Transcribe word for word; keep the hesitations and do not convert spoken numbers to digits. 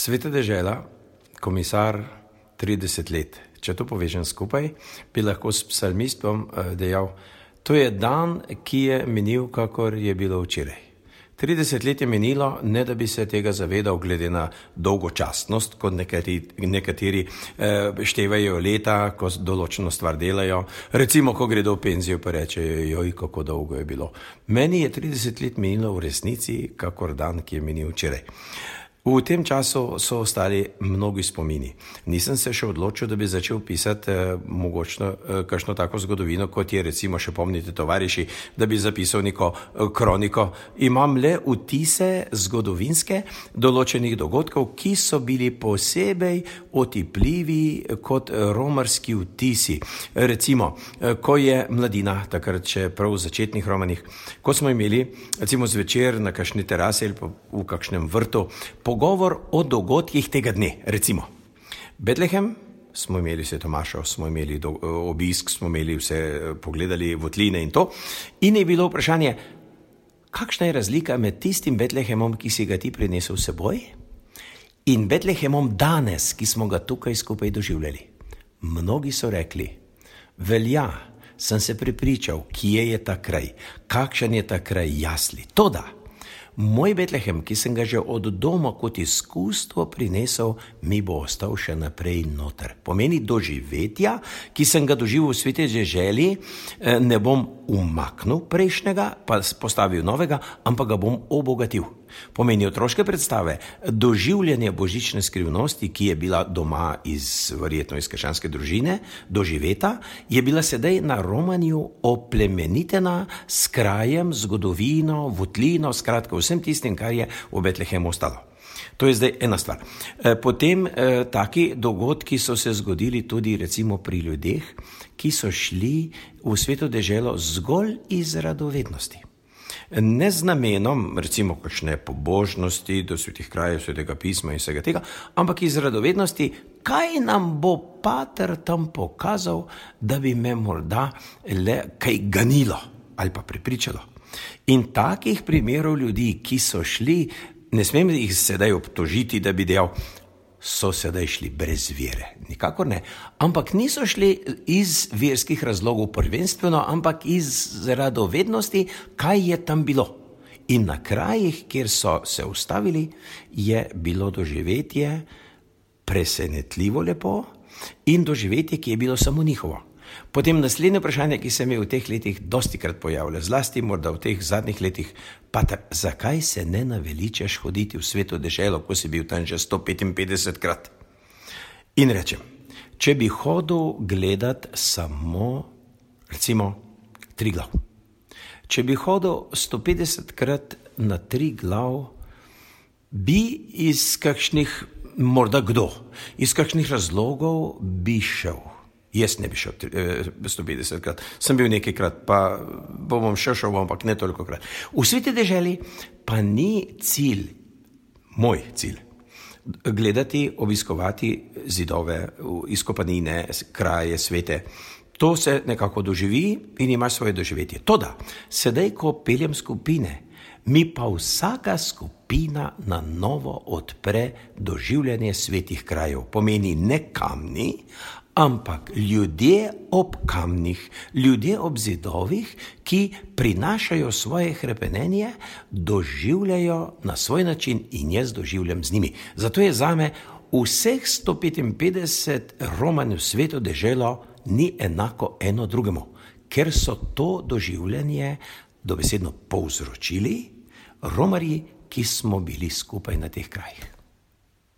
Sveta dežela, komisar, trideset let. Če to povežem skupaj, bi lahko s psalmistom dejal, to je dan, ki je minil, kakor je bilo včeraj. trideset let je minilo, ne da bi se tega zavedal glede na dolgočasnost, kot nekateri, nekateri eh, števajo leta, ko določeno stvar delajo. Recimo, ko gredo v penzijo, pa rečejo, joj, kako dolgo je bilo. Meni je trideset let minilo v resnici, kakor dan, ki je minil včeraj. V tem času so ostali mnogi spomini. Nisem se še odločil, da bi začel pisati eh, mogočno eh, kakšno tako zgodovino, kot je recimo še pomnite tovariši, da bi zapisal neko eh, kroniko. Imam le vtise zgodovinske določenih dogodkov, ki so bili posebej otipljivi kot romarski vtisi. Recimo, eh, ko je mladina, takrat še prav v začetnih romanih, ko smo imeli recimo zvečer na kakšni terasi ali v kakšnem vrtu, pogovor o dogodkih tega dne, recimo. Betlehem, smo imeli vse Tomašo, smo imeli do, obisk, smo imeli vse, pogledali votline in to. In je bilo vprašanje, kakšna je razlika med tistim Betlehemom, ki si ga ti prinesel s seboj, in Betlehemom danes, ki smo ga tukaj skupaj doživljali. Mnogi so rekli, velja, sem se prepričal, kje je ta kraj, kakšen je ta kraj jasli. Toda, moj Betlehem, ki sem ga že od doma kot izkustvo prinesel, mi bo ostal še naprej noter. Pomeni doživetja, ki sem ga doživel v sveti deželi, ne bom umaknil prejšnjega, pa postavil novega, ampak ga bom obogatil. Pomeni otroške predstave, doživljanje božične skrivnosti, ki je bila doma iz, verjetno iz krščanske družine, doživeta, je bila sedaj na romanju oplemenitena s krajem, zgodovino, votlino, skratka vsem tistim, kar je v Betlehemu ostalo. To je zdaj ena stvar. Potem eh, taki dogodki so se zgodili tudi recimo pri ljudeh, ki so šli v sveto deželo zgolj iz radovednosti. Ne z namenom, recimo, kakšne pobožnosti do svetih krajev, svetega pisma in vsega tega, ampak iz radovednosti, kaj nam bo pater tam pokazal, da bi me morda le kaj ganilo ali pa prepričalo. In takih primerov ljudi, ki so šli, ne smem jih sedaj obtožiti, da bi dejal, so sedaj šli brez vere. Nikakor ne. Ampak niso šli iz verskih razlogov prvenstveno, ampak iz radovednosti, kaj je tam bilo. In na krajih, kjer so se ustavili, je bilo doživetje presenetljivo lepo in doživetje, ki je bilo samo njihovo. Potem naslednje vprašanje, ki se mi v teh letih dostikrat pojavlja, zlasti morda v teh zadnjih letih, pater, zakaj se ne naveličaš hoditi v sveto deželo, ko si bil tam že sto petinpetdeset krat? In rečem, če bi hodil gledat samo, recimo, Triglav. Če bi hodil sto petdeset krat na Triglav, bi iz kakšnih, morda kdo, iz kakšnih razlogov bi šel. Jaz ne bi šel sto petdeset krat, sem bil nekajkrat, pa bom še šel, ampak ne toliko krat. V sveti deželi pa ni cilj, moj cilj, gledati, obiskovati zidove, izkopanine, kraje, svete. To se nekako doživi in ima svoje doživetje. Toda, sedaj, ko peljem skupine, mi pa vsaka skupina na novo odpre doživljanje svetih krajev. Pomeni ne kamni, ampak ljudje ob kamnih, ljudje ob zidovih, ki prinašajo svoje hrepenenje, doživljajo na svoj način in jaz doživljam z njimi. Zato je zame vseh sto petinpetdeset romanjev sveto deželo ni enako eno drugemu, ker so to doživljanje dobesedno povzročili romarji, ki smo bili skupaj na teh krajih.